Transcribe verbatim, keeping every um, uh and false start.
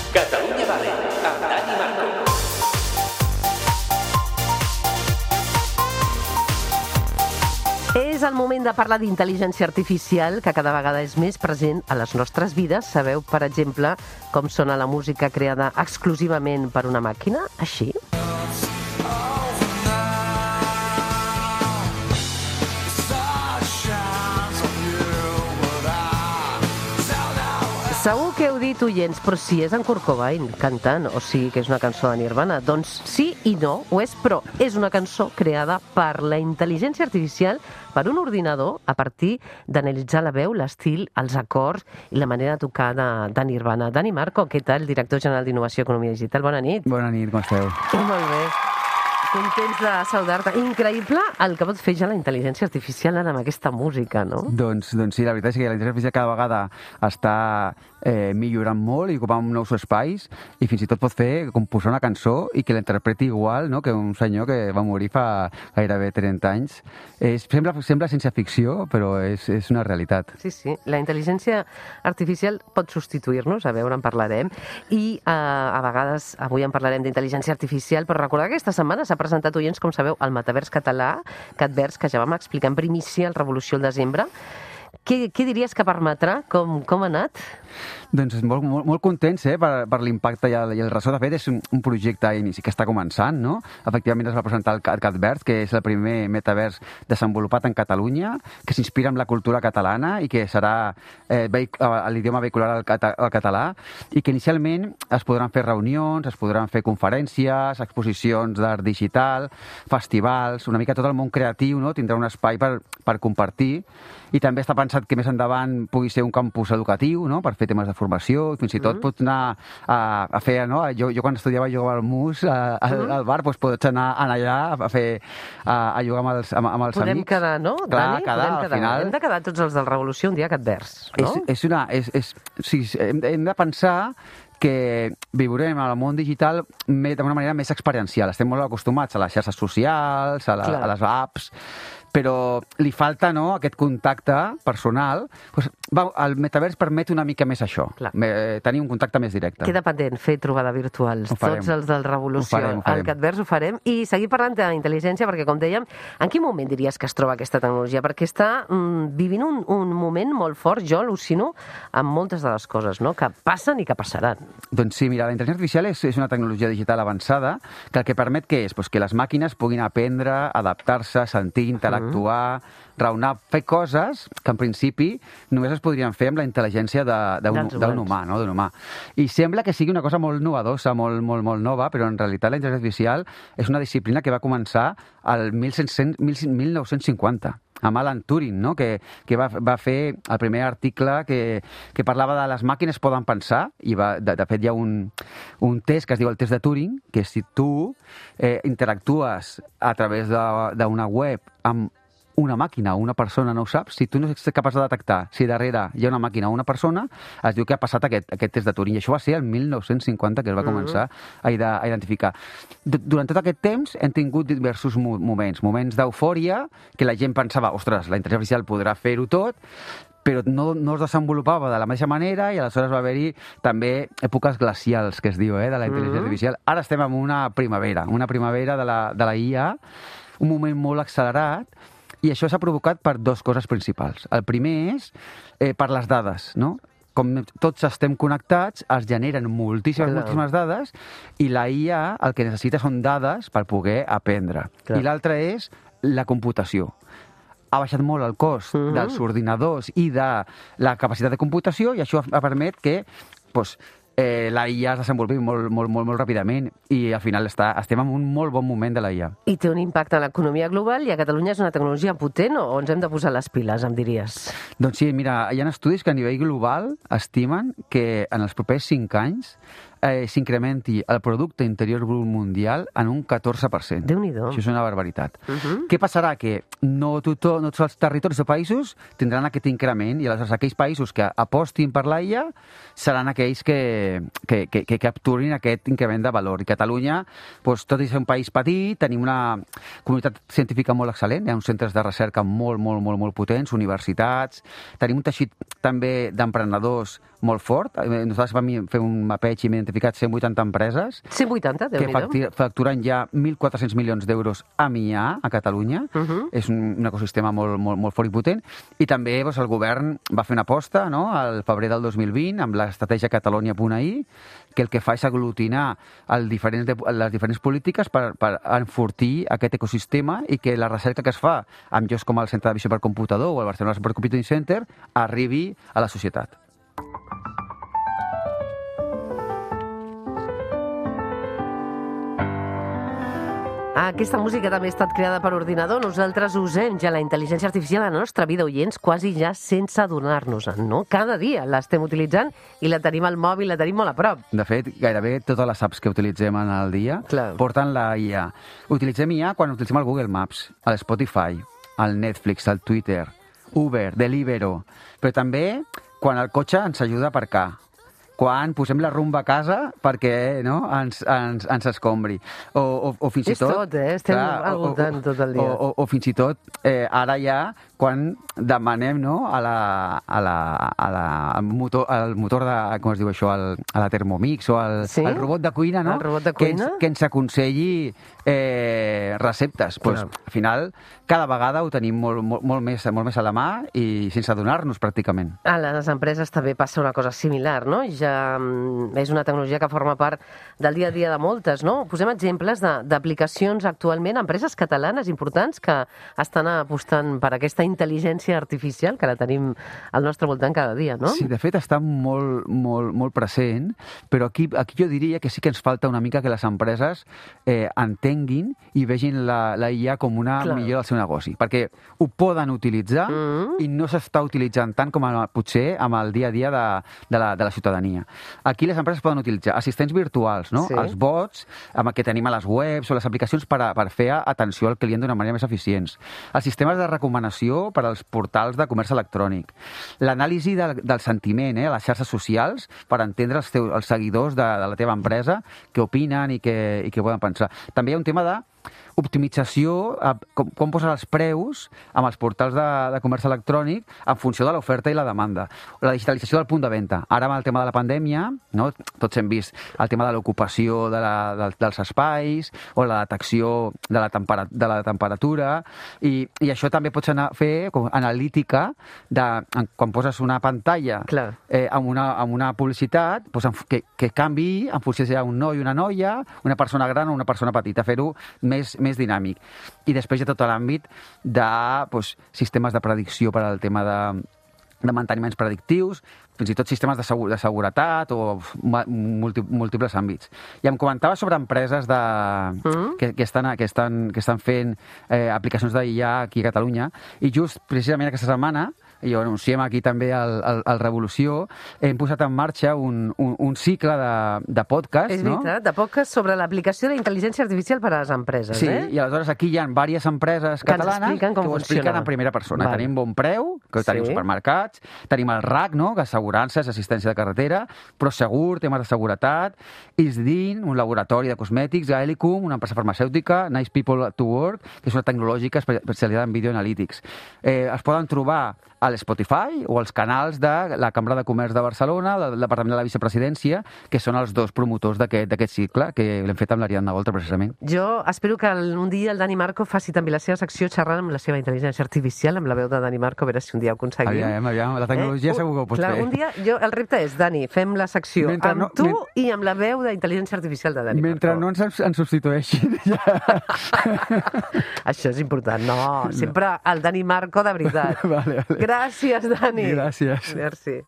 Catalunya Vale, amb Dani Marco. És el moment de parlar d'intel·ligència artificial, que cada vegada és més present a les nostres vides. Sabeu, per exemple, com sona la música creada exclusivament per una màquina? Així. Segur que heu dit, oients, però si és en Kurt Cobain cantant, o sigui que és una cançó de Nirvana. Doncs sí i no, ho és, però és una cançó creada per la intel·ligència artificial, per un ordinador, a partir d'analitzar la veu, l'estil, els acords i la manera de tocar de, de Nirvana. Dani Marco, què tal? Director general d'Innovació i Economia Digital. Bona nit. Bona nit, com esteu? Eh, molt bé. Contents de saludar-te. Increïble el que pot fer ja la intel·ligència artificial ara amb aquesta música, no? Doncs, doncs sí, la veritat és que la intel·ligència artificial cada vegada està eh, millorant molt i ocupant nous espais i fins i tot pot fer composar una cançó i que l'interpreti igual, no?, que un senyor que va morir fa gairebé trenta anys. És, sembla, sembla ciència ficció, però és, és una realitat. Sí, sí. La intel·ligència artificial pot substituir-nos, a veure, en parlarem, i eh, a vegades avui en parlarem d'intel·ligència artificial, però recordar que aquesta setmana s'ha presentat, oients, com sabeu, el metavers català, Catvers, que ja vam explicar en primícia al Revolució al desembre. Què, què diries que permetrà? Com, com ha anat? Doncs molt, molt, molt contents eh, per, per l'impacte i el, i el ressò. De fet, és un, un projecte a inici que està començant, no? Efectivament es va presentar el Catvers, que és el primer metavers desenvolupat en Catalunya, que s'inspira en la cultura catalana i que serà eh, l'idioma vehicular al, cata, al català, i que inicialment es podran fer reunions, es podran fer conferències, exposicions d'art digital, festivals, una mica tot el món creatiu, no? Tindrà un espai per, per compartir, i també està pensat que més endavant pugui ser un campus educatiu, no?, per fer temes de formació, i fins i tot mm. pots anar a, a fer, no? Jo, jo quan estudiava jugava al mus, a, a, mm. al bar, doncs pots anar, anar allà a fer, a, a jugar amb els, amb, amb els Podem amics. Podem quedar, no, Clar, Dani? quedar, Podem quedar. Al final... Hem de quedar tots els del Revolució un dia a Catvers, no? És, és una... És, és, sí, hem, hem de pensar que viurem al món digital d'una manera més experiencial. Estem molt acostumats a les xarxes socials, a, la, a les apps, però li falta, no?, aquest contacte personal. Pues, va, el metavers permet una mica més això, me, tenir un contacte més directe. Queda pendent fer trobada virtuals, tots els del Revolució. Ho farem, ho farem. Al Catvers ho farem, i seguir parlant d'intel·ligència, perquè, com dèiem, en quin moment diries que es troba aquesta tecnologia? Perquè està mm, vivint un, un moment molt fort, jo al·lucino, amb moltes de les coses, no?, que passen i que passaran. Doncs sí, mira, la intel·ligència artificial és, és una tecnologia digital avançada que el que permet què és? Pues que les màquines puguin aprendre, adaptar-se, sentir, interactuar, mm. raonar, fer coses que en principi només es podrien fer amb la intel·ligència d'un humà, no? d'un humà. I sembla que sigui una cosa molt novedosa, molt, molt, molt nova, però en realitat la intel·ligència artificial és una disciplina que va començar al mil nou-cents cinquanta. Amb Alan Turing, no?, que, que va, va fer el primer article que, que parlava de les màquines poden pensar, i va, de, de fet hi ha un, un test que es diu el test de Turing, que si tu eh, interactues a través d'una web amb una màquina o una persona, no ho saps, si tu no ets capaç de detectar si darrere hi ha una màquina o una persona, es diu que ha passat aquest, aquest test de Turing. I això va ser el mil nou-cents cinquanta que es va començar a, a identificar. Durant tot aquest temps hem tingut diversos moments, moments d'eufòria, que la gent pensava, ostres, la intel·ligència artificial podrà fer-ho tot, però no, no es desenvolupava de la mateixa manera, i aleshores va haver-hi també èpoques glacials, que es diu, eh, de la intel·ligència artificial. Ara estem en una primavera, una primavera de la, de la I A, un moment molt accelerat, i això s'ha provocat per dues coses principals. El primer és eh, per les dades, no? Com tots estem connectats, es generen moltíssimes, Clar. moltíssimes dades, i la I A el que necessita són dades per poder aprendre. Clar. I l'altre és la computació. Ha baixat molt el cost uh-huh. dels ordinadors i de la capacitat de computació, i això ha permet que pues, eh, la I A es desenvolupi molt, molt, molt, molt ràpidament, i al final està, estem en un molt bon moment de la I A. I té un impacte en l'economia global, i a Catalunya és una tecnologia potent, o ens hem de posar les piles, em diries? Doncs sí, mira, hi ha estudis que a nivell global estimen que en els propers cinc anys eh, s'incrementi el producte interior brut mundial en un catorze per cent. Déu-n'hi-do. Això és una barbaritat. Uh-huh. Què passarà? Que no, tothom, no tots els territoris o països tindran aquest increment, i aleshores aquells països que apostin per l'A I A seran aquells que, que, que, que capturin aquest increment de valor. I Catalunya, doncs, tot i ser un país petit, tenim una comunitat científica molt excel·lent, hi ha uns centres de recerca molt, molt, molt, molt potents, universitats, tenim un teixit també d'emprenedors molt fort. Nosaltres vam fer un mapeig i vam identificat cent vuitanta empreses cent vuitanta, que Déu-n'hi-do. facti- facturen ja mil quatre-cents milions d'euros amb I A a Catalunya. Uh -huh. És un, un ecosistema molt, molt, molt fort i potent. I també doncs, el govern va fer una aposta, no?, al febrer del dos mil vint amb l'estratègia Catalunya punt a i, que el que fa és aglutinar el diferents de, les diferents polítiques per, per enfortir aquest ecosistema i que la recerca que es fa amb llocs com el Centre de Visió per Computador o el Barcelona Supercomputing Center arribi a la societat. Aquesta música també ha estat creada per ordinador. Nosaltres usem ja la intel·ligència artificial a la nostra vida, oients, quasi ja sense adonar-nos-en, no? Cada dia l'estem utilitzant i la tenim al mòbil, la tenim molt a prop. De fet, gairebé totes les apps que utilitzem en el dia Clar. porten la I A. Utilitzem I A quan utilitzem el Google Maps, el Spotify, el Netflix, el Twitter, Uber, Deliveroo, però també quan el cotxe ens ajuda a aparcar, quan posem la rumba a casa perquè no, ens, ens, ens escombri. O, o, o fins i És tot... tot, eh? Estem al voltant tot el dia. O, o, o fins i tot, eh, ara ja, quan demanem no, a la, a la, a la, al motor, al motor de, com es diu això, al, a la Thermomix o al, Sí? al robot de cuina, no? El robot de que ens, cuina? que ens aconselli eh, receptes. Pues, Clar. al final, cada vegada ho tenim molt, molt, molt, més, molt més a la mà i sense adonar-nos pràcticament. A les empreses també passa una cosa similar, no? Ja mm, és una tecnologia que forma part del dia a dia de moltes, no? Posem exemples de- d'aplicacions actualment, empreses catalanes importants que estan apostant per aquesta intel·ligència artificial que la tenim al nostre voltant cada dia, no? Sí, de fet està molt, molt, molt present, però aquí, aquí jo diria que sí que ens falta una mica que les empreses eh, entenguin i vegin la, la I A com una Clar. millora del seu negoci, perquè ho poden utilitzar Mm. i no s'està utilitzant tant com a, potser amb el dia a dia de, de, la, de la ciutadania. Aquí les empreses poden utilitzar assistents virtuals, no? Sí. Els bots amb el que tenim a les webs o les aplicacions per, a, per fer atenció al client d'una manera més eficients. Els sistemes de recomanació per als portals de comerç electrònic. L'anàlisi del, del sentiment eh, a les xarxes socials per entendre els, teus, els seguidors de, de la teva empresa, què opinen i què, i què poden pensar. També hi ha un tema de optimització, eh, com, com posar els preus amb els portals de, de comerç electrònic en funció de l'oferta i la demanda. La digitalització del punt de venda. Ara amb el tema de la pandèmia, no? Tots hem vist el tema de l'ocupació de la, de, dels espais o la detecció de la, tempera, de la temperatura i, i això també pots anar a fer com analítica de, quan poses una pantalla Clar. eh, amb, una, amb una publicitat doncs, en, que, que canvi en funció si hi ha un noi, una noia, una persona gran o una persona petita, fer-ho més, més dinàmic. I després hi ha tot l'àmbit de doncs, sistemes de predicció per al tema de, de manteniments predictius, fins i tot sistemes de, segur, de seguretat o multi, múltiples àmbits. I em comentava sobre empreses de, Mm. que, que, estan, que, estan, que estan fent eh, aplicacions d'I A aquí a Catalunya i just precisament aquesta setmana i ho anunciem aquí també al, al, al Revolució, hem posat en marxa un, un, un cicle de, de podcast, És no? veritat, de podcast sobre l'aplicació de la intel·ligència artificial per a les empreses, Sí, eh? i aleshores aquí hi ha diverses empreses Que ens catalanes expliquen com que ho expliquen funciona. en primera persona. Val. Tenim Bon Preu, que ho tenim Sí. als supermercats, tenim el R A C, no? que és assegurances, assistència de carretera, Prosegur, temes de seguretat, Isdin, un laboratori de cosmètics, Gaelicum, una empresa farmacèutica, Nice People to Work, que és una tecnològica espe- especialitzada en Video Analytics. Eh, es poden trobar a l'Spotify o als canals de la Cambra de Comerç de Barcelona, del Departament de la Vicepresidència, que són els dos promotors d'aquest d'aquest cicle, que l'hem fet amb l'Ariadna Goltra, precisament. Jo espero que el- un dia el Dani Marco faci també la seva secció xerrant amb la seva intel·ligència artificial, amb la veu de Dani Marco, a veure si un dia ho aconseguim. Aviam, aviam, la tecnologia Eh? segur que ho pots Clar, fer. un dia, jo, el repte és, Dani, fem la secció Mentre amb no- tu men- i amb la veu d'intel·ligència artificial de Dani Mentre Marco. no ens, ens substitueixin, ja... Això és important. No, sempre el Dani Marco de veritat. Vale, vale. Gràcies, Dani. Gràcies. Merci.